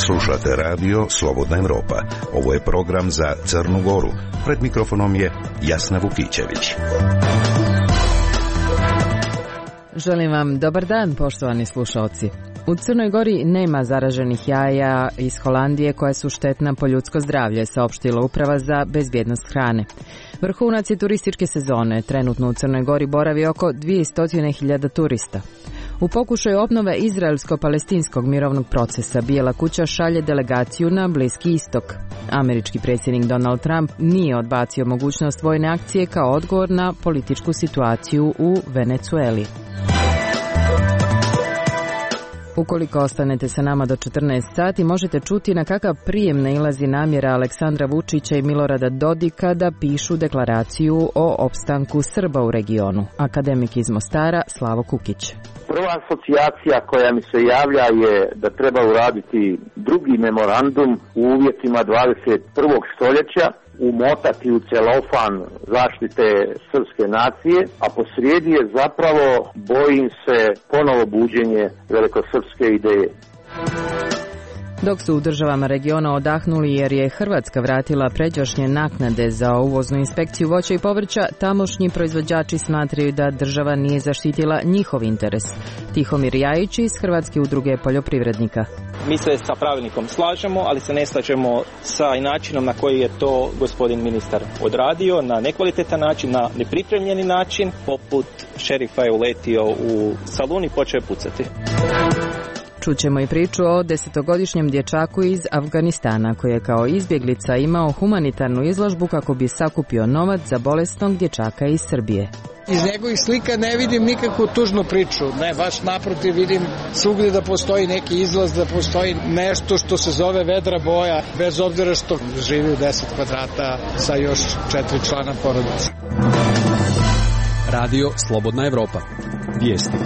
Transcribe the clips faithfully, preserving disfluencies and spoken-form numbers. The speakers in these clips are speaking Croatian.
Slušate radio Slobodna Evropa. Ovo je program za Crnu Goru. Pred mikrofonom je Jasna Vukićević. Želim vam dobar dan, poštovani slušalci. U Crnoj Gori nema zaraženih jaja iz Holandije koja su štetna po ljudsko zdravlje, saopštila Uprava za bezbjednost hrane. Vrhunac je turističke sezone. Trenutno u Crnoj Gori boravi oko dvjesto hiljada turista. U pokušaju obnove izraelsko-palestinskog mirovnog procesa Bijela kuća šalje delegaciju na Bliski istok. Američki predsjednik Donald Trump nije odbacio mogućnost vojne akcije kao odgovor na političku situaciju u Venecueli. Ukoliko ostanete sa nama do četrnaest sati, možete čuti na kakav prijem nailazi namjera Aleksandra Vučića i Milorada Dodika da pišu deklaraciju o opstanku Srba u regionu. Akademik iz Mostara Slavo Kukić. Prva asocijacija koja mi se javlja je da treba uraditi drugi memorandum u uvjetima dvadeset prvog stoljeća, umotati u celofan zaštite srpske nacije, a posrijedi je zapravo, bojim se, ponovo buđenje velikosrpske ideje. Dok su u državama regiona odahnuli jer je Hrvatska vratila pređašnje naknade za uvoznu inspekciju voća i povrća, tamošnji proizvođači smatraju da država nije zaštitila njihov interes. Tihomir Jajić iz Hrvatske udruge poljoprivrednika. Mi se sa pravilnikom slažemo, ali se ne slažemo sa načinom na koji je to gospodin ministar odradio, na nekvalitetan način, na nepripremljeni način, poput šerifa je uletio u salon i počeo je pucati. Čućemo i priču o desetogodišnjem dječaku iz Afganistana koji je kao izbjeglica imao humanitarnu izložbu kako bi sakupio novac za bolesnog dječaka iz Srbije. Iz njegovih slika ne vidim nikakvu tužnu priču, ne, baš naprotiv, vidim svugdje da postoji neki izlaz, da postoji nešto što se zove vedra boja, bez obzira što živi u deset kvadrata sa još četiri člana porodice. Radio Slobodna Evropa. Vijesti.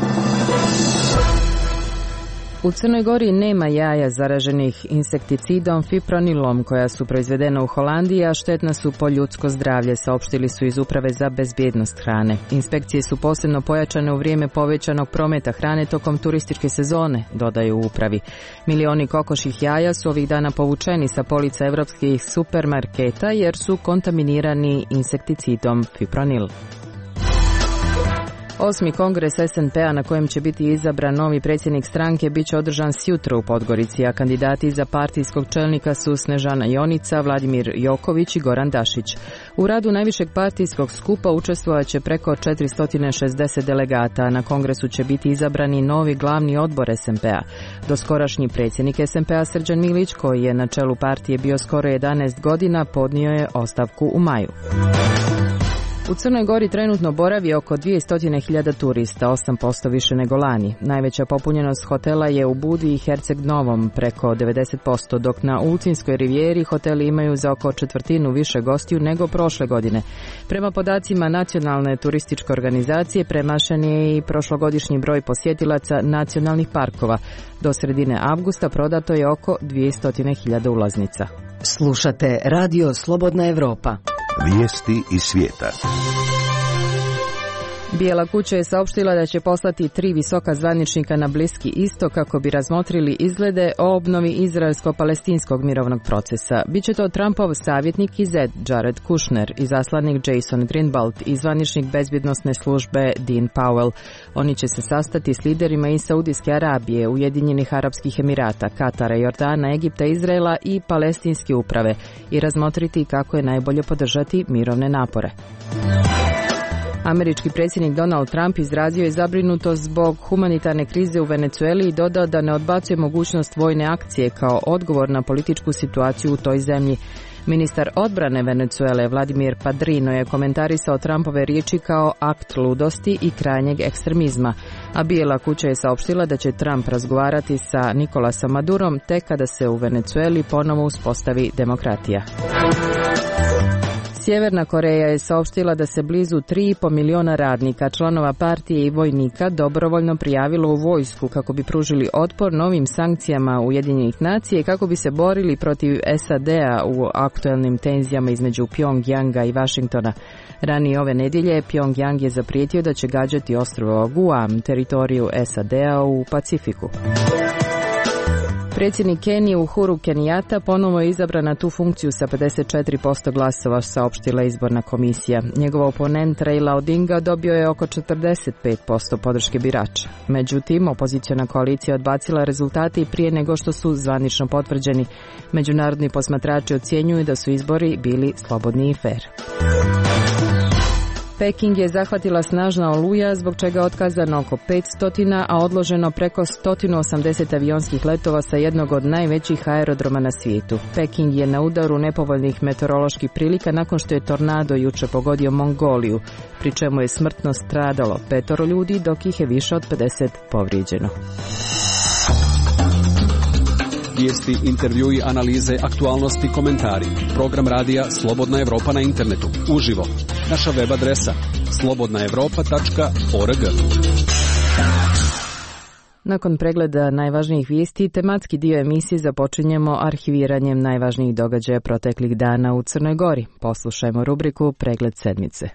U Crnoj Gori nema jaja zaraženih insekticidom fipronilom koja su proizvedena u Holandiji, a štetna su po ljudsko zdravlje, saopštili su iz Uprave za bezbjednost hrane. Inspekcije su posebno pojačane u vrijeme povećanog prometa hrane tokom turističke sezone, dodaju u upravi. Milioni kokoših jaja su ovih dana povučeni sa polica evropskih supermarketa jer su kontaminirani insekticidom fipronil. Osmi kongres es en pe-a na kojem će biti izabran novi predsjednik stranke bit će održan sjutra u Podgorici, a kandidati za partijskog čelnika su Snežana Jonica, Vladimir Joković i Goran Dašić. U radu najvišeg partijskog skupa učestvovat će preko četiristo šezdeset delegata, a na kongresu će biti izabrani novi glavni odbor es en pe-a. Doskorašnji predsjednik es en pe-a Srđan Milić, koji je na čelu partije bio skoro jedanaest godina, podnio je ostavku u maju. U Crnoj Gori trenutno boravi oko dvjesto hiljada turista, osam posto više nego lani. Najveća popunjenost hotela je u Budi i Herceg Novom, preko devedeset posto, dok na Ulcinskoj rivijeri hoteli imaju za oko četvrtinu više gostiju nego prošle godine. Prema podacima Nacionalne turističke organizacije, premašen je i prošlogodišnji broj posjetilaca nacionalnih parkova. Do sredine avgusta prodato je oko dvjesto hiljada ulaznica. Slušate Radio Slobodna Evropa. Vijesti iz svijeta. Bijela kuća je saopštila da će poslati tri visoka zvaničnika na Bliski istok kako bi razmotrili izglede o obnovi izraelsko-palestinskog mirovnog procesa. Biće to Trumpov savjetnik i zet Jared Kushner, izaslanik Jason Greenblatt i zvaničnik bezbjednosne službe Dean Powell. Oni će se sastati s liderima iz Saudijske Arabije, Ujedinjenih Arapskih Emirata, Katara, Jordana, Egipta, Izraela i palestinske uprave i razmotriti kako je najbolje podržati mirovne napore. Američki predsjednik Donald Trump izrazio je zabrinutost zbog humanitarne krize u Venecueli i dodao da ne odbacuje mogućnost vojne akcije kao odgovor na političku situaciju u toj zemlji. Ministar odbrane Venecuele Vladimir Padrino je komentarisao Trumpove riječi kao akt ludosti i krajnjeg ekstremizma, a Bijela kuća je saopštila da će Trump razgovarati sa Nikolasom Madurom tek kada se u Venecueli ponovo uspostavi demokratija. Sjeverna Koreja je saopštila da se blizu tri i po miliona radnika, članova partije i vojnika dobrovoljno prijavilo u vojsku kako bi pružili otpor novim sankcijama Ujedinjenih nacija i kako bi se borili protiv S A D-a u aktuelnim tenzijama između Pjongjanga i Vašingtona. Ranije ove nedjelje Pjongjang je zaprijetio da će gađati ostrvo Guam, teritoriju S A D-a u Pacifiku. Predsjednik Kenije Uhuru Kenyatta ponovo je izabran na tu funkciju sa pedeset četiri posto glasova, saopštila izborna komisija. Njegov oponent Raila Odinga dobio je oko četrdeset pet posto podrške birača. Međutim, opoziciona koalicija odbacila rezultate i prije nego što su zvanično potvrđeni. Međunarodni posmatrači ocjenjuju da su izbori bili slobodni i fer. Peking je zahvatila snažna oluja zbog čega je otkazano oko petsto, a odloženo preko sto osamdeset avionskih letova sa jednog od najvećih aerodroma na svijetu. Peking je na udaru nepovoljnih meteoroloških prilika nakon što je tornado juče pogodio Mongoliju, pri čemu je smrtno stradalo petoro ljudi, dok ih je više od pedeset povrijeđeno. Vijesti, intervjui, analize, aktualnosti, komentari. Program radija Slobodna Evropa na internetu. Uživo. Naša web adresa slobodna evropa tačka org. Nakon pregleda najvažnijih vijesti, tematski dio emisije započinjemo arhiviranjem najvažnijih događaja proteklih dana u Crnoj Gori. Poslušajmo rubriku Pregled sedmice.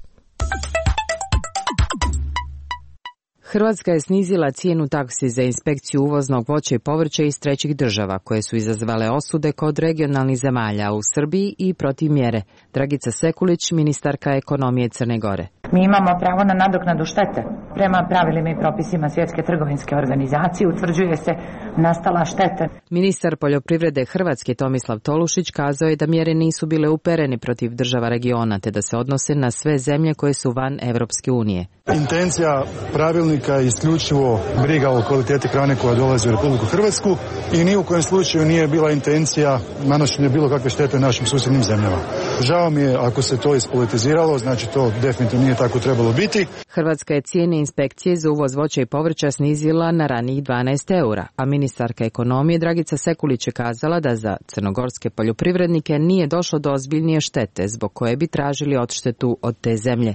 Hrvatska je snizila cijenu taksi za inspekciju uvoznog voća i povrća iz trećih država, koje su izazvale osude kod regionalnih zemalja u Srbiji i protiv mjere. Dragica Sekulić, ministarka ekonomije Crne Gore. Mi imamo pravo na nadoknadu štete. Prema pravilima i propisima Svjetske trgovinske organizacije utvrđuje se nastala šteta. Ministar poljoprivrede Hrvatske Tomislav Tolušić kazao je da mjere nisu bile uperene protiv država regiona, te da se odnose na sve zemlje koje su van Evropske unije. Intencija pravilnika je isključivo briga o kvaliteti hrane koja dolazi u Republiku Hrvatsku i ni u kojem slučaju nije bila intencija nanošenja bilo kakve štete našim susjednim zemljama. Žao mi je ako se to ispolitiziralo, znači to definitivno nije tako trebalo biti. Hrvatska je cijene inspekcije za uvoz voća i povrća snizila na ranijih dvanaest eura, a ministarka ekonomije Dragica Sekulić je kazala da za crnogorske poljoprivrednike nije došlo do ozbiljnije štete zbog koje bi tražili odštetu od te zemlje.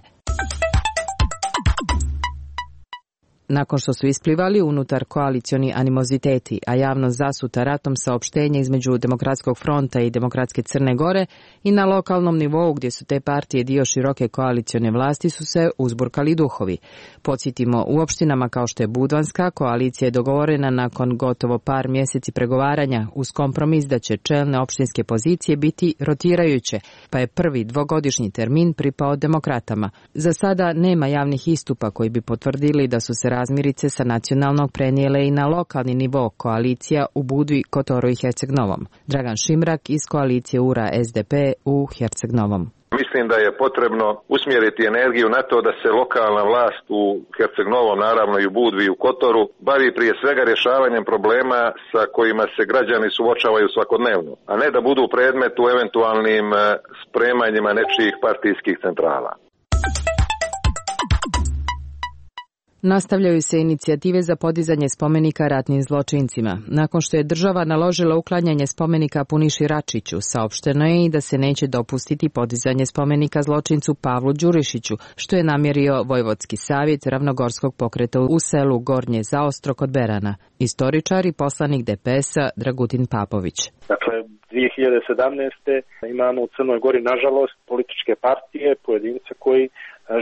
Nakon što su isplivali unutar koalicioni animoziteti, a javnost zasuta ratom saopštenja između Demokratskog fronta i Demokratske Crne Gore i na lokalnom nivou gdje su te partije dio široke koalicione vlasti su se uzburkali duhovi. Podsjetimo, u opštinama kao što je Budvanska, koalicija je dogovorena nakon gotovo par mjeseci pregovaranja uz kompromis da će čelne opštinske pozicije biti rotirajuće, pa je prvi dvogodišnji termin pripao demokratama. Za sada nema javnih istupa koji bi potvrdili da su se razmirice sa nacionalnog prenijele i na lokalni nivo koalicija u Budvi, Kotoru i Herceg-Novom. Dragan Šimrak iz koalicije U R A S D P u Herceg-Novom. Mislim da je potrebno usmjeriti energiju na to da se lokalna vlast u Herceg-Novom, naravno i u Budvi i u Kotoru, bavi prije svega rješavanjem problema sa kojima se građani suočavaju svakodnevno, a ne da budu predmet u eventualnim spremanjima nečijih partijskih centrala. Nastavljaju se inicijative za podizanje spomenika ratnim zločincima. Nakon što je država naložila uklanjanje spomenika Puniši Račiću, saopšteno je i da se neće dopustiti podizanje spomenika zločincu Pavlu Đurišiću, što je namjerio Vojvodski savjet Ravnogorskog pokreta u selu Gornje Zaostro kod Berana. Istoričar i poslanik D P S-a Dragutin Papović. Dakle, dvije hiljade sedamnaeste. imamo u Crnoj Gori, nažalost, političke partije, pojedince koji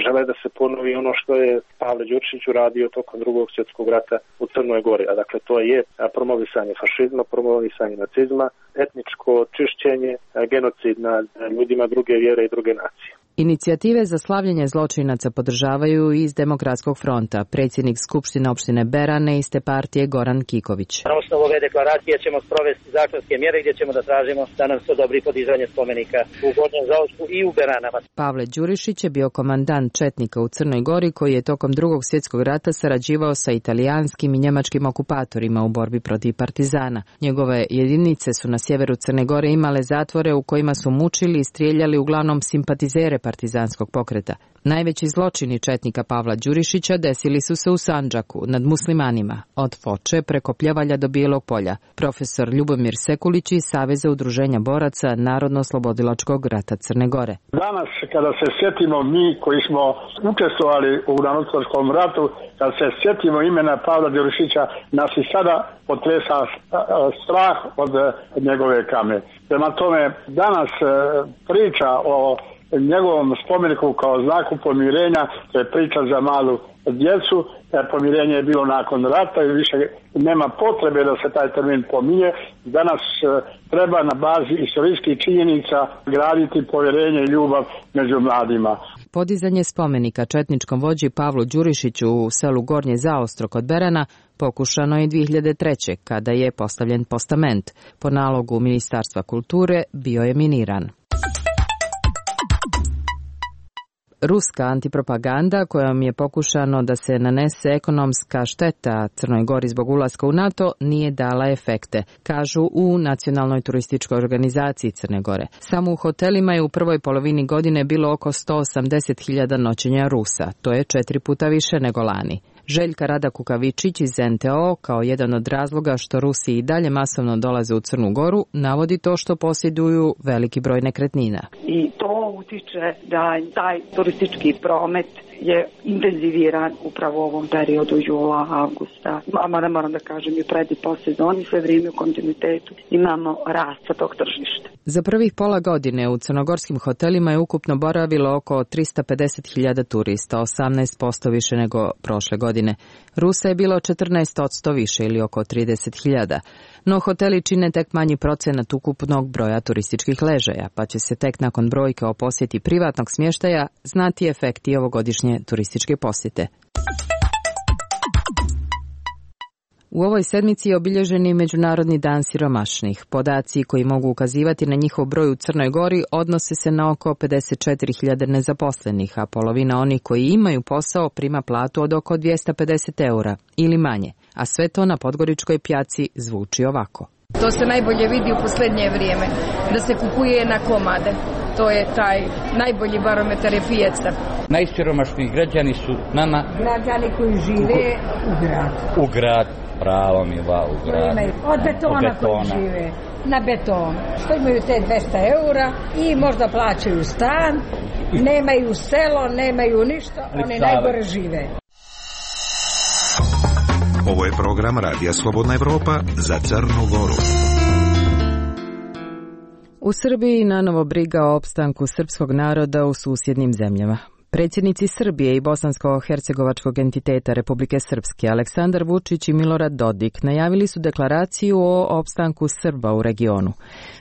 žele da se ponovi ono što je Pavle Đurišić uradio tokom drugog svjetskog rata u Crnoj Gori. A dakle, to je promovisanje fašizma, promovisanje nacizma, etničko čišćenje, genocid nad ljudima druge vjere i druge nacije. Inicijative za slavljenje zločinaca podržavaju iz Demokratskog fronta, predsjednik Skupštine opštine Berane iste partije Goran Kiković. Na osnovu ove deklaracije ćemo sprovesti zakonske mjere gdje ćemo da tražimo da nam se odobri podizanje spomenika u Gornjem Zaostru i u Beranama. Pavle Đurišić je bio komandant četnika u Crnoj Gori koji je tokom drugog svjetskog rata sarađivao sa italijanskim i njemačkim okupatorima u borbi protiv partizana. Njegove jedinice su na sjeveru Crne Gore imale zatvore u kojima su mučili i strijeljali uglavnom simpatizere partizanskog pokreta. Najveći zločini četnika Pavla Đurišića desili su se u Sandžaku, nad muslimanima, od Foče preko Pljevalja do Bijelog polja. Profesor Ljubomir Sekulić iz Saveza udruženja boraca Narodno-oslobodilačkog rata Crne Gore. Danas kada se sjetimo mi koji smo učestvovali u Narodnooslobodilačkom ratu, kad se sjetimo imena Pavla Đurišića, nas i sada potresa strah od njegove kame. Prema tome, danas priča o njegovom spomeniku kao znaku pomirenja, to je priča za malu djecu, pomirenje je bilo nakon rata i više nema potrebe da se taj termin pominje. Danas treba na bazi istorijskih činjenica graditi povjerenje i ljubav među mladima. Podizanje spomenika četničkom vođi Pavlu Đurišiću u selu Gornje Zaostro kod Berana pokušano je dvije hiljade treće. kada je postavljen postament. Po nalogu Ministarstva kulture bio je miniran. Ruska antipropaganda kojom je pokušano da se nanese ekonomska šteta Crnoj Gori zbog ulaska u NATO nije dala efekte, kažu u Nacionalnoj turističkoj organizaciji Crne Gore. Samo u hotelima je u prvoj polovini godine bilo oko sto osamdeset hiljada noćenja Rusa, to je četiri puta više nego lani. Željka Rada Kukavičić iz en te o kao jedan od razloga što Rusi i dalje masovno dolaze u Crnu Goru navodi to što posjeduju veliki broj nekretnina. I to utiče da taj turistički promet je intenziviran upravo u ovom periodu jula, avgusta. A mada moram da kažem i pred i po sezoni, sve vrijeme u kontinuitetu imamo rast sa tog tržišta. Za prvih pola godine u crnogorskim hotelima je ukupno boravilo oko tristo pedeset hiljada turista, osamnaest posto više nego prošle godine. Rusa je bilo četrnaest posto više ili oko trideset hiljada. No hoteli čine tek manji procenat ukupnog broja turističkih ležaja, pa će se tek nakon brojke o posjeti privatnog smještaja znati efekti ovogodišnje turističke posjete. U ovoj sedmici je obilježen i Međunarodni dan siromašnih. Podaci koji mogu ukazivati na njihov broj u Crnoj Gori odnose se na oko pedeset četiri hiljade nezaposlenih, a polovina onih koji imaju posao prima platu od oko dvjesto pedeset eura ili manje, a sve to na podgoričkoj pjaci zvuči ovako. To se najbolje vidi u posljednje vrijeme, da se kupuje na komade. To je taj najbolji barometar je pijaca. Najsiromašniji građani su nama građani koji žive u gradu. U grad, pravo mi va u grad. Od betona, betona koji žive na beton. Što imaju te dvjesto eura i možda plaćaju stan, nemaju selo, nemaju ništa, oni najgore žive. Ovo je program Radija Slobodna Evropa za Crnu Goru. U Srbiji nanovo briga o opstanku srpskog naroda u susjednim zemljama. Predsjednici Srbije i bosansko-hercegovačkog entiteta Republike Srpske Aleksandar Vučić i Milorad Dodik najavili su deklaraciju o opstanku Srba u regionu.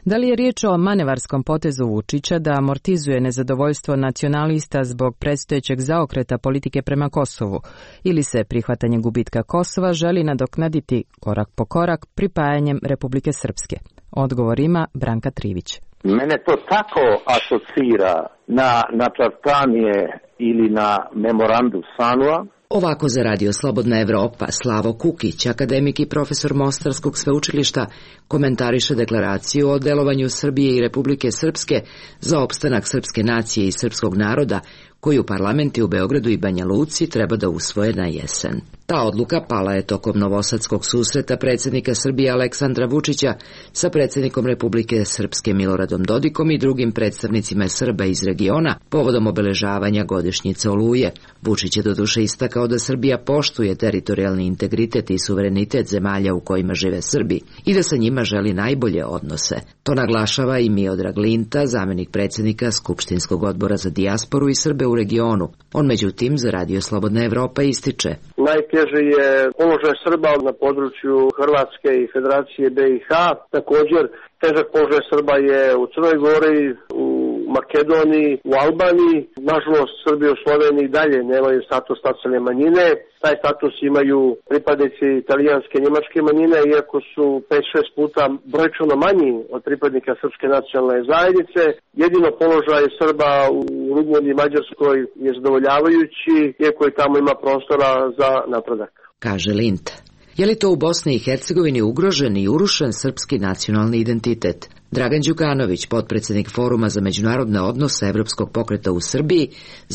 Da li je riječ o manevarskom potezu Vučića da amortizuje nezadovoljstvo nacionalista zbog predstojećeg zaokreta politike prema Kosovu ili se prihvatanje gubitka Kosova želi nadoknaditi korak po korak pripajanjem Republike Srpske? Odgovor ima Branka Trivić. Mene to tako asocira na nacrtanje ili na memorandum Sanua. Ovako za Radio Slobodna Evropa Slavo Kukić, akademik i profesor Mostarskog sveučilišta, komentariše deklaraciju o delovanju Srbije i Republike Srpske za opstanak srpske nacije i srpskog naroda, koju parlamenti u Beogradu i Banja Luci treba da usvoje na jesen. Ta odluka pala je tokom novosadskog susreta predsjednika Srbije Aleksandra Vučića sa predsjednikom Republike Srpske Miloradom Dodikom i drugim predstavnicima Srba iz regiona povodom obeležavanja godišnjice Oluje. Vučić je doduše istakao da Srbija poštuje teritorijalni integritet i suverenitet zemalja u kojima žive Srbi i da sa njima želi najbolje odnose. To naglašava i Miodrag Linta, zamenik predsjednika Skupštinskog odbora za dijasporu i Srbe u regionu. On međutim za Radio Slobodna Evropa ističe: najteži je položaj Srba na području Hrvatske i Federacije be i ha. Također težak položaj Srba je u Crnoj Gori, u Makedoniji, u Albaniji. Nažalost, Srbi u Sloveniji dalje nemaju status nacionalne manjine. Taj status imaju pripadnici italijanske i njemačke manjine, iako su pet šest puta brojčano manji od pripadnika srpske nacionalne zajednice. Jedino položaj Srba u Rumuniji i Mađarskoj je zadovoljavajući, iako i tamo ima prostora za napredak. Kaže Lint. Je li to u Bosni i Hercegovini ugrožen i urušen srpski nacionalni identitet? Dragan Đukanović, potpredsjednik Foruma za međunarodne odnose Evropskog pokreta u Srbiji,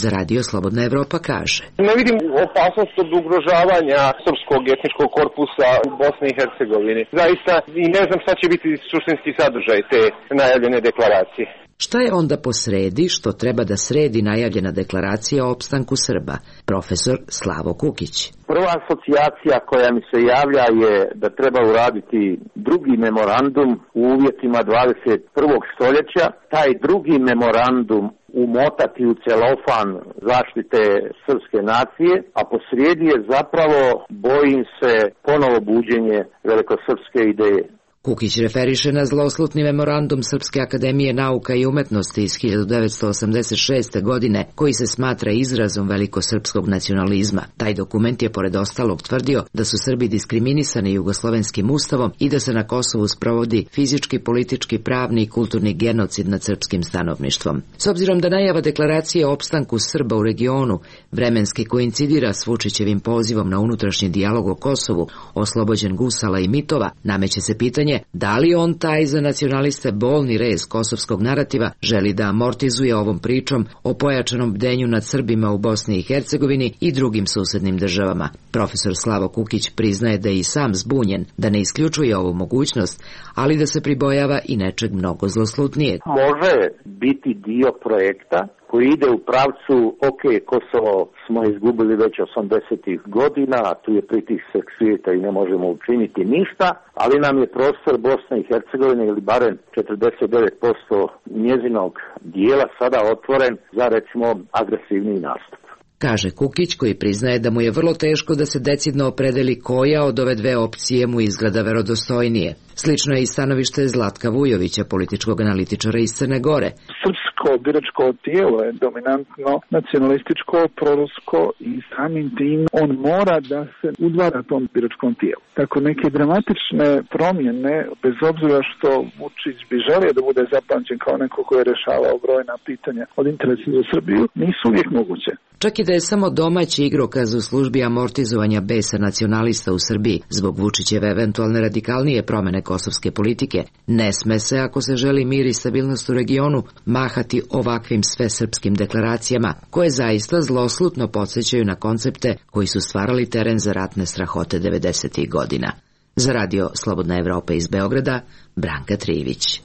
za Radio Slobodna Evropa kaže: Ne vidim opasnost od ugrožavanja srpskog etničkog korpusa u Bosni i Hercegovini. Zaista i ne znam šta će biti suštinski sadržaj te najavljene deklaracije. Šta je onda posredi što treba da sredi najavljena deklaracija o opstanku Srba? Profesor Slavo Kukić. Prva asocijacija koja mi se javlja je da treba uraditi drugi memorandum u uvjetima dvadeset prvog stoljeća. Taj drugi memorandum umotati u celofan zaštite srpske nacije, a posrijedi je zapravo, bojim se, ponovo buđenje velikosrpske ideje. Kukić referiše na zloslutni memorandum Srpske akademije nauka i umetnosti iz hiljadu devetsto osamdeset šeste. godine, koji se smatra izrazom velikosrpskog nacionalizma. Taj dokument je pored ostalog tvrdio da su Srbi diskriminisani jugoslovenskim ustavom i da se na Kosovu sprovodi fizički, politički, pravni i kulturni genocid nad srpskim stanovništvom. S obzirom da najava deklaracije o opstanku Srba u regionu vremenski koincidira s Vučićevim pozivom na unutrašnji dijalog o Kosovu, oslobođen gusala i mitova, nameće se pitanje da li on taj za nacionaliste bolni rez kosovskog narativa želi da amortizuje ovom pričom o pojačanom bdenju nad Srbima u Bosni i Hercegovini i drugim susednim državama. Profesor Slavo Kukić priznaje da je i sam zbunjen, da ne isključuje ovu mogućnost, ali da se pribojava i nečeg mnogo zloslutnijeg. Može biti dio projekta koji ide u pravcu, ok, Kosovo smo izgubili već osamdesetih godina, tu je pritisak svijeta i ne možemo učiniti ništa, ali nam je prostor Bosne i Hercegovine ili barem četrdeset devet posto njezinog dijela sada otvoren za, recimo, agresivni nastup. Kaže Kukić, koji priznaje da mu je vrlo teško da se decidno opredeli koja od ove dve opcije mu izgleda verodostojnije. Slično je i stanovište Zlatka Vujovića, političkog analitičara iz Crne Gore. Srpsko biračko tijelo je dominantno nacionalističko, prorusko i samim tim on mora da se udvara tom biračkom tijelu. Tako neke dramatične promjene, bez obzira što Vučić bi želio da bude zapamćen kao neko koji je rešavao brojna pitanja od interesa za Srbiju, nisu uvijek moguće. Čak i da je samo domaći igrokaz u službi amortizovanja besa nacionalista u Srbiji zbog Vučićeve eventualne radikalnije promene kosovske politike, ne sme se, ako se želi mir i stabilnost u regionu, mahati ovakvim svesrpskim deklaracijama, koje zaista zloslutno podsjećaju na koncepte koji su stvarali teren za ratne strahote devedesetih godina. Za Radio Slobodna Evropa iz Beograda, Branka Trivić.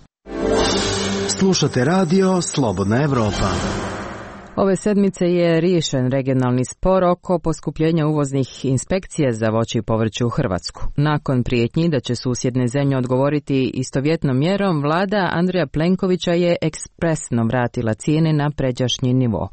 Slušate Radio Slobodna Evropa. Ove sedmice je riješen regionalni spor oko poskupljenja uvoznih inspekcija za voće i povrće u Hrvatsku. Nakon prijetnji da će susjedne zemlje odgovoriti istovjetnom mjerom, vlada Andreja Plenkovića je ekspresno vratila cijene na pređašnji nivo.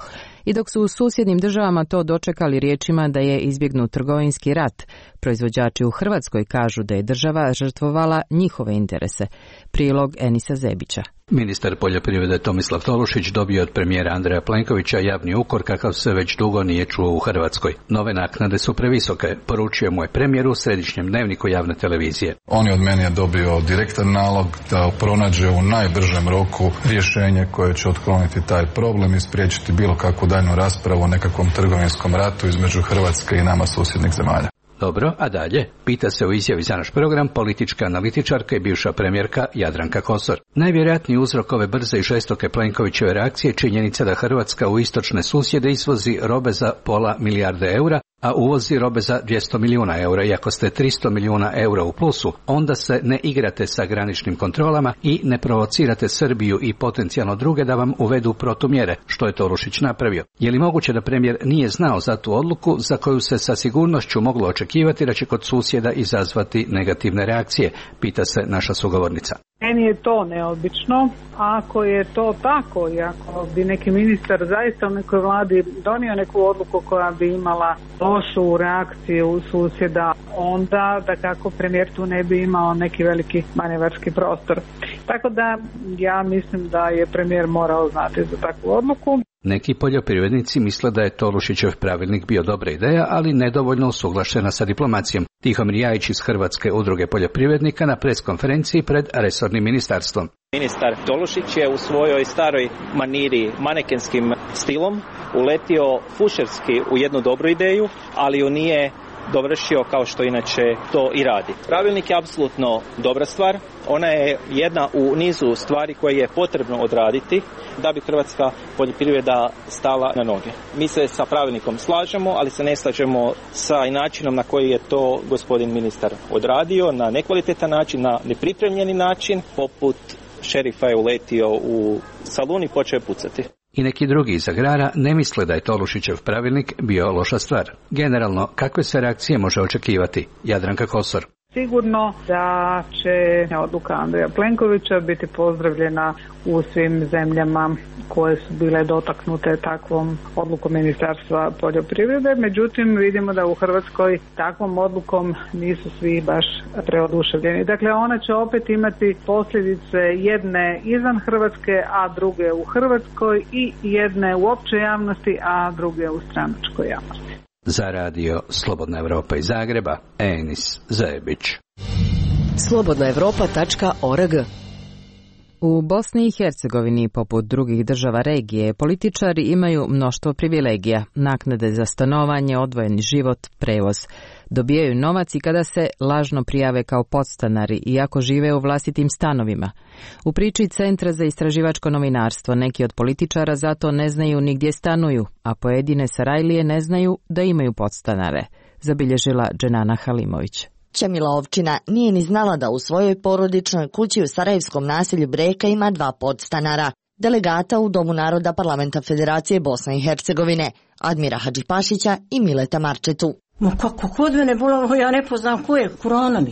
I dok su u susjednim državama to dočekali riječima da je izbjegnut trgovinski rat, proizvođači u Hrvatskoj kažu da je država žrtvovala njihove interese. Prilog Enisa Zebića. Ministar poljoprivrede Tomislav Tolušić dobio od premijera Andreja Plenkovića javni ukor kakav se već dugo nije čuo u Hrvatskoj. Nove naknade su previsoke, poručio mu je premijer u središnjem dnevniku javne televizije. On je od mene je dobio direktan nalog da pronađe u najbržem roku rješenje koje će otkloniti taj problem i spriječiti bilo kakvu daljnju raspravu o nekakvom trgovinskom ratu između Hrvatske i nama susjednih zemalja. Dobro, a dalje? Pita se u izjavi za naš program politička analitičarka i bivša premijerka Jadranka Kosor. Najvjerojatniji uzrok ove brze i žestoke Plenkovićeve reakcije je činjenica da Hrvatska u istočne susjede izvozi robe za pola milijarde eura, a uvozi robe za dvjesto milijuna eura. I ako ste tristo milijuna eura u plusu, onda se ne igrate sa graničnim kontrolama i ne provocirate Srbiju i potencijalno druge da vam uvedu protumjere, što je Tolušić napravio. Je li moguće da premijer nije znao za tu odluku za koju se sa sigurnošću moglo očekivati da će kod susjeda izazvati negativne reakcije, pita se naša sugovornica. Meni je to neobično. Ako je to tako i ako bi neki ministar zaista u nekoj vladi donio neku odluku koja bi imala lošu reakciju susjeda, onda da kako premijer tu ne bi imao neki veliki manevarski prostor. Tako da ja mislim da je premijer morao znati za takvu odluku. Neki poljoprivrednici misle da je Tolušićev pravilnik bio dobra ideja, ali nedovoljno usuglašena sa diplomacijom. Tihomir Jajić iz Hrvatske udruge poljoprivrednika na preskonferenciji pred resornim ministarstvom. Ministar Tolušić je u svojoj staroj maniri manekenskim stilom uletio fušerski u jednu dobru ideju, ali ju nije dovršio kao što inače to i radi. Pravilnik je apsolutno dobra stvar. Ona je jedna u nizu stvari koje je potrebno odraditi da bi hrvatska poljoprivreda stala na noge. Mi se sa pravilnikom slažemo, ali se ne slažemo sa načinom na koji je to gospodin ministar odradio, na nekvalitetan način, na nepripremljeni način, poput šerifa je uletio u salun i počeo pucati. I neki drugi iz agrara ne misle da je Tolušićev pravilnik bio loša stvar. Generalno, kakve sve reakcije može očekivati? Jadranka Kosor. Sigurno da će odluka Andreja Plenkovića biti pozdravljena u svim zemljama koje su bile dotaknute takvom odlukom Ministarstva poljoprivrede. Međutim, vidimo da u Hrvatskoj takvom odlukom nisu svi baš preoduševljeni. Dakle, ona će opet imati posljedice jedne izvan Hrvatske, a druge u Hrvatskoj, i jedne u općoj javnosti, a druge u stranačkoj javnosti. Za radio Slobodna Evropa iz Zagreba, Enis Zajebić. slobodna evropa tačka org. U Bosni i Hercegovini, poput drugih država regije, političari imaju mnoštvo privilegija, naknade za stanovanje, odvojeni život, prevoz. Dobijaju novac i kada se lažno prijave kao podstanari, iako žive u vlastitim stanovima. U priči Centra za istraživačko novinarstvo neki od političara zato ne znaju ni gdje stanuju, a pojedine Sarajlije ne znaju da imaju podstanare, zabilježila Dženana Halimović. Čemila Ovčina nije ni znala da u svojoj porodičnoj kući u sarajevskom naselju Breka ima dva podstanara, delegata u Domu naroda Parlamenta Federacije Bosne i Hercegovine, Admira Hadžipašića i Mileta Marčetu. Ma kako kod mene bolamo, ja ne poznam ko je, Kurana mi.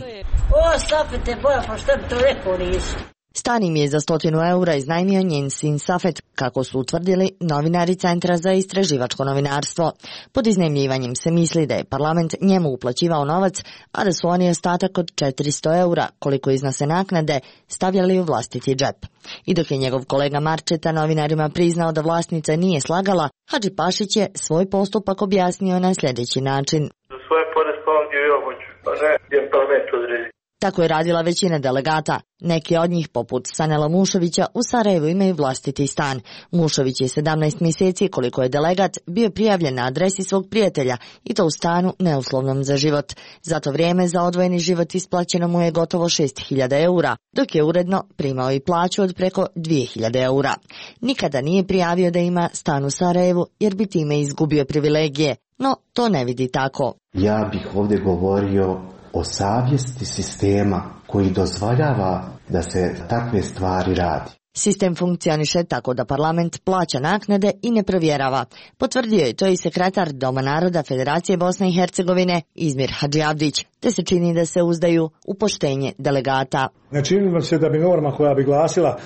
O, Safete, boja, pa šta bi to rekao nisi? Stan im je za stotinu eura iznajmio njen sin Safet, kako su utvrdili novinari Centra za istraživačko novinarstvo. Pod iznajmljivanjem se misli da je parlament njemu uplaćivao novac, a da su oni ostatak od četiristo eura, koliko iznose naknade, stavljali u vlastiti džep. I dok je njegov kolega Marčeta novinarima priznao da vlasnica nije slagala, Hadžipašić je svoj postupak objasnio na sljedeći način. Za svoje poresko ovdje ja hoću, pa ne, gdje parlament odredi. Tako je radila većina delegata. Neki od njih, poput Sanela Mušovića, u Sarajevu imaju vlastiti stan. Mušović je sedamnaest mjeseci, koliko je delegat, bio prijavljen na adresi svog prijatelja i to u stanu neuslovnom za život. Za to vrijeme za odvojeni život isplaćeno mu je gotovo šest hiljada eura, dok je uredno primao i plaću od preko dvije hiljade eura. Nikada nije prijavio da ima stan u Sarajevu jer bi time izgubio privilegije, no to ne vidi tako. Ja bih ovdje govorio o savjesti sistema koji dozvoljava da se takve stvari radi. Sistem funkcioniše tako da parlament plaća naknade i ne provjerava. Potvrdio je to i sekretar Doma naroda Federacije Bosne i Hercegovine Izmir Hadžiavdić, te se čini da se uzdaju u poštenje delegata. Ne čini vam se da bi norma koja bi glasila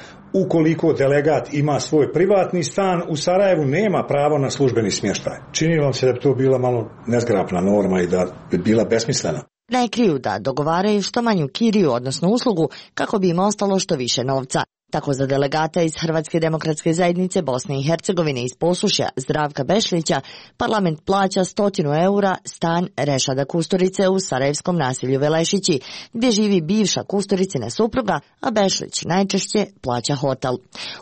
ukoliko delegat ima svoj privatni stan u Sarajevu nema pravo na službeni smještaj. Čini vam se da bi to bila malo nezgrapna norma i da bi bila besmislena. Ne kriju da dogovaraju što manju kiriju, odnosno uslugu, kako bi im ostalo što više novca. Tako za delegata iz Hrvatske demokratske zajednice Bosne i Hercegovine iz Posušja Zdravka Bešlića parlament plaća stotinu eura stan Rešada Kusturice u sarajevskom naselju Velešići, gdje živi bivša Kusturicina supruga, a Bešlić najčešće plaća hotel.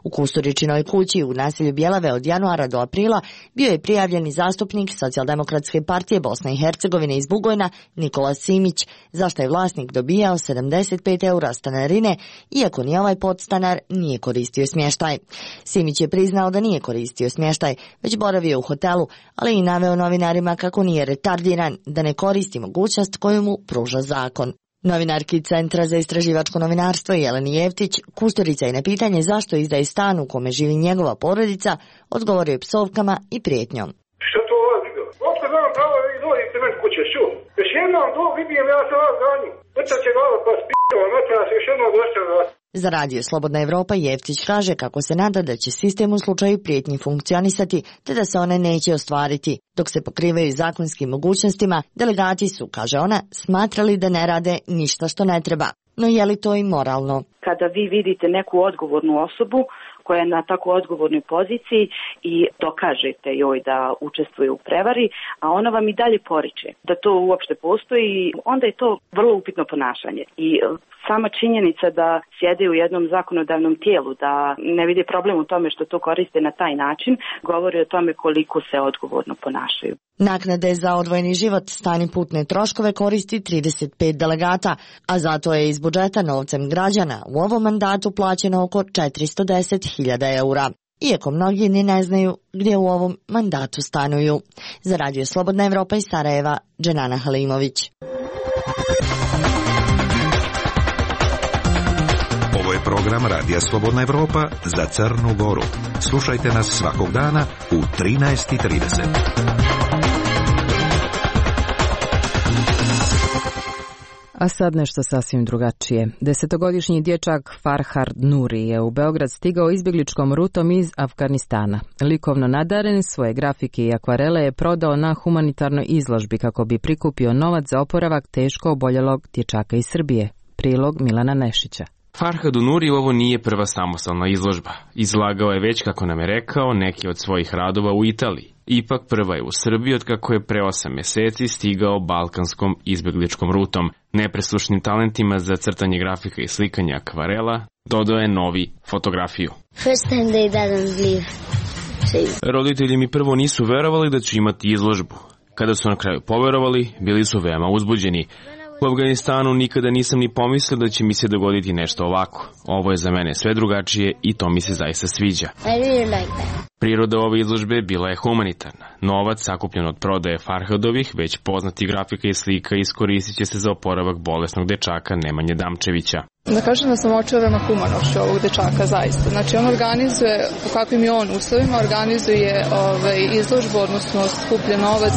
U Kusturičinoj kući u naselju Bjelave od januara do aprila bio je prijavljeni zastupnik Socijaldemokratske partije Bosne i Hercegovine iz Bugojna Nikola Simić, zašto je vlasnik dobijao sedamdeset pet eura stanarine, iako ni ovaj podstanar nije koristio smještaj. Simić je priznao da nije koristio smještaj, već boravio u hotelu, ali i naveo novinarima kako nije retardiran, da ne koristi mogućnost koju mu pruža zakon. Novinarki Centra za istraživačko novinarstvo Jeleni Jevtić, Kusturica je na pitanje zašto izdaje stan u kome živi njegova porodica, odgovorio je psovkama i prijetnjom. Što to vas vidio? Otko znam pravo da vi dolazite meni kuće, što? Još jednom do vidim, ja se vas ganju. Vrta će glava pa spio, noća se još jednom došće vas. Za radio Slobodna Evropa Jevtić kaže kako se nada da će sistem u slučaju prijetnji funkcionisati, te da se one neće ostvariti. Dok se pokrivaju zakonskim mogućnostima, delegati su, kaže ona, smatrali da ne rade ništa što ne treba. No je li to i moralno? Kada vi vidite neku odgovornu osobu koja je na tako odgovornoj poziciji i dokažete joj da učestvuje u prevari, a ona vam i dalje poriče da to uopšte postoji, onda je to vrlo upitno ponašanje. I sama činjenica da sjede u jednom zakonodavnom tijelu, da ne vidi problem u tome što to koriste na taj način, govori o tome koliko se odgovorno ponašaju. Naknade za odvojeni život, stan i putne troškove koristi trideset pet delegata, a zato je iz budžeta novcem građana u ovom mandatu plaćeno oko četiristo deset hiljada eura. Iako mnogi ni ne znaju gdje u ovom mandatu stanuju. Za Radio Slobodna Evropa iz Sarajeva, Dženana Halimović. Ovo je program Radija Slobodna Evropa za Crnu Goru. Slušajte nas svakog dana u trinaest i trideset. A sad nešto sasvim drugačije. Desetogodišnji dječak Farhad Nuri je u Beograd stigao izbjegličkom rutom iz Afganistana. Likovno nadaren, svoje grafike i akvarele je prodao na humanitarnoj izložbi kako bi prikupio novac za oporavak teško oboljelog dječaka iz Srbije. Prilog Milana Nešića. Farhadu Nuri ovo nije prva samostalna izložba. Izlagao je već, kako nam je rekao, neki od svojih radova u Italiji. Ipak prva je u Srbiji od kako je pre osam mjeseci stigao balkanskom izbjegličkom rutom. Nepresušnim talentima za crtanje grafika i slikanja akvarela dodao je novi fotografiju. First time they didn't believe. Roditelji mi prvo nisu verovali da ću imati izložbu. Kada su na kraju poverovali, bili su veoma uzbuđeni. U Afganistanu nikada nisam ni pomislio da će mi se dogoditi nešto ovako. Ovo je za mene sve drugačije i to mi se zaista sviđa. I really like that. Priroda ove izložbe bila je humanitarna. Novac sakupljen od prodaje Farhadovih, već poznati grafika i slika, iskoristit će se za oporavak bolesnog dečaka Nemanje Damčevića. Da kažem da sam očarana humanošću ovog dečaka, zaista. Znači on organizuje, po kakvim je on uslovima, organizuje ovaj, izložbu, odnosno skuplja novac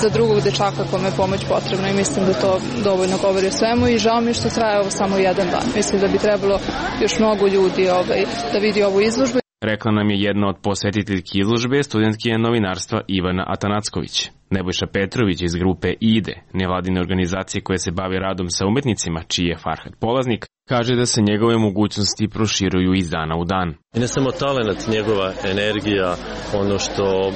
za drugog dečaka kome je pomoć potrebna i mislim da to dovoljno govori o svemu i žao mi što traje ovo samo jedan dan. Mislim da bi trebalo još mnogo ljudi ovaj, da vidi ovu izložbu. Rekla nam je jedna od posjetiteljki izložbe, studentkinja novinarstva Ivana Atanacković. Nebojša Petrović iz grupe IDE, nevladine organizacije koje se bave radom sa umetnicima, čiji je Farhad polaznik, kaže da se njegove mogućnosti proširuju iz dana u dan. I ne samo talent, njegova energija, ono što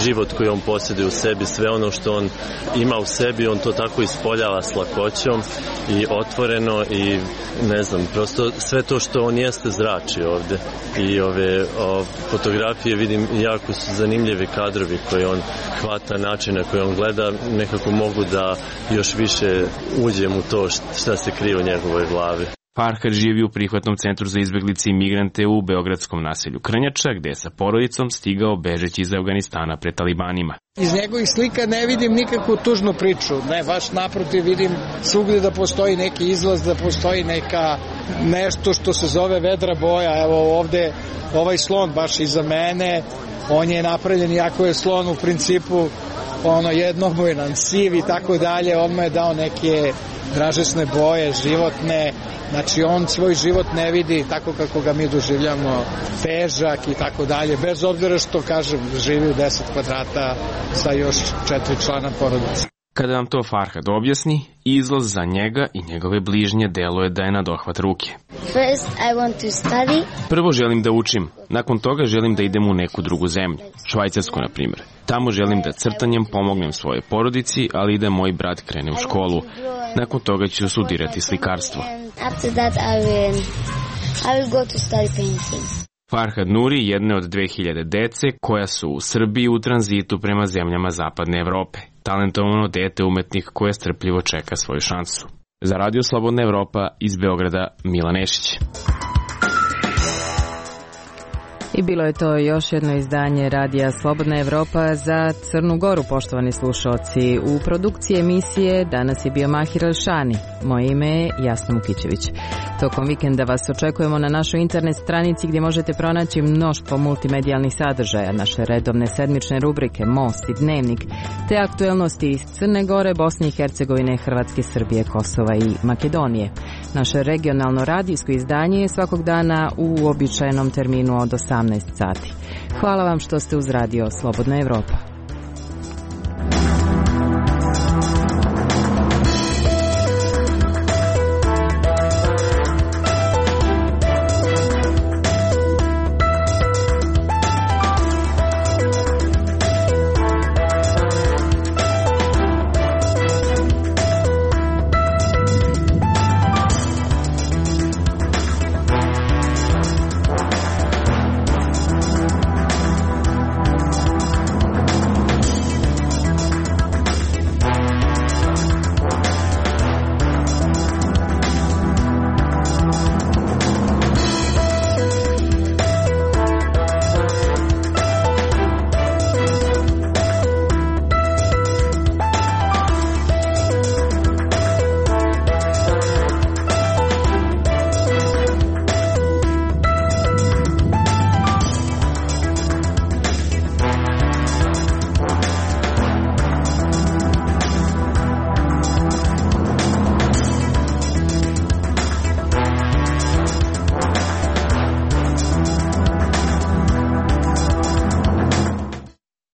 život koji on posjeduje u sebi, sve ono što on ima u sebi, on to tako ispoljava s lakoćom i otvoreno i ne znam, prosto sve to što on jeste zrači ovdje. I ove o, fotografije vidim jako su zanimljivi kadrovi koje on hvata, načine koje on gleda, nekako mogu da još više uđem u to šta se krije u njegovoj glavi. Farhad živi u prihvatnom centru za izbjeglice i migrante u beogradskom naselju Krnjača, gdje je sa porodicom stigao bežeći iz Afganistana pred talibanima. Iz njegovih slika ne vidim nikakvu tužnu priču, ne, baš naprotiv vidim svugdje da postoji neki izlaz, da postoji neka nešto što se zove vedra boja. Evo ovdje ovaj slon baš iza mene, on je napravljen, iako je slon u principu ono jednobojan, siv i tako dalje, on mu je dao neke dražesne boje, životne. Znači on svoj život ne vidi tako kako ga mi doživljamo, težak i tako dalje, bez obzira što, kažem, živi u deset kvadrata sa još četiri člana porodice. Kada vam to Farhad objasni, izlaz za njega i njegove bližnje deluje da je na dohvat ruke. First, I want to study. Prvo želim da učim, nakon toga želim da idem u neku drugu zemlju, Švajcarsku na primjer. Tamo želim da crtanjem pomognem svojoj porodici, ali i da moj brat krene u školu. Nakon toga ću studirati slikarstvo. After that, I will, I will go to study painting. Farhad Nuri jedne od dve hiljade dece koja su u Srbiji u tranzitu prema zemljama zapadne Evrope. Talentovano dete umetnik koje strpljivo čeka svoju šansu. Za Radio Slobodna Evropa iz Beograda, Milan Nešić. I bilo je to još jedno izdanje Radija Slobodna Evropa za Crnu Goru, poštovani slušalci. U produkciji emisije danas je bio Mahir Alšani. Moje ime je Jasna Mukićević. Tokom vikenda vas očekujemo na našoj internet stranici gdje možete pronaći mnoštvo multimedijalnih sadržaja, naše redovne sedmične rubrike Most i Dnevnik, te aktuelnosti iz Crne Gore, Bosne i Hercegovine, Hrvatske, Srbije, Kosova i Makedonije. Naše regionalno radijsko izdanje je svakog dana u uobičajenom terminu od osamnaest sati. Hvala vam što ste uz Radio Slobodna Evropa.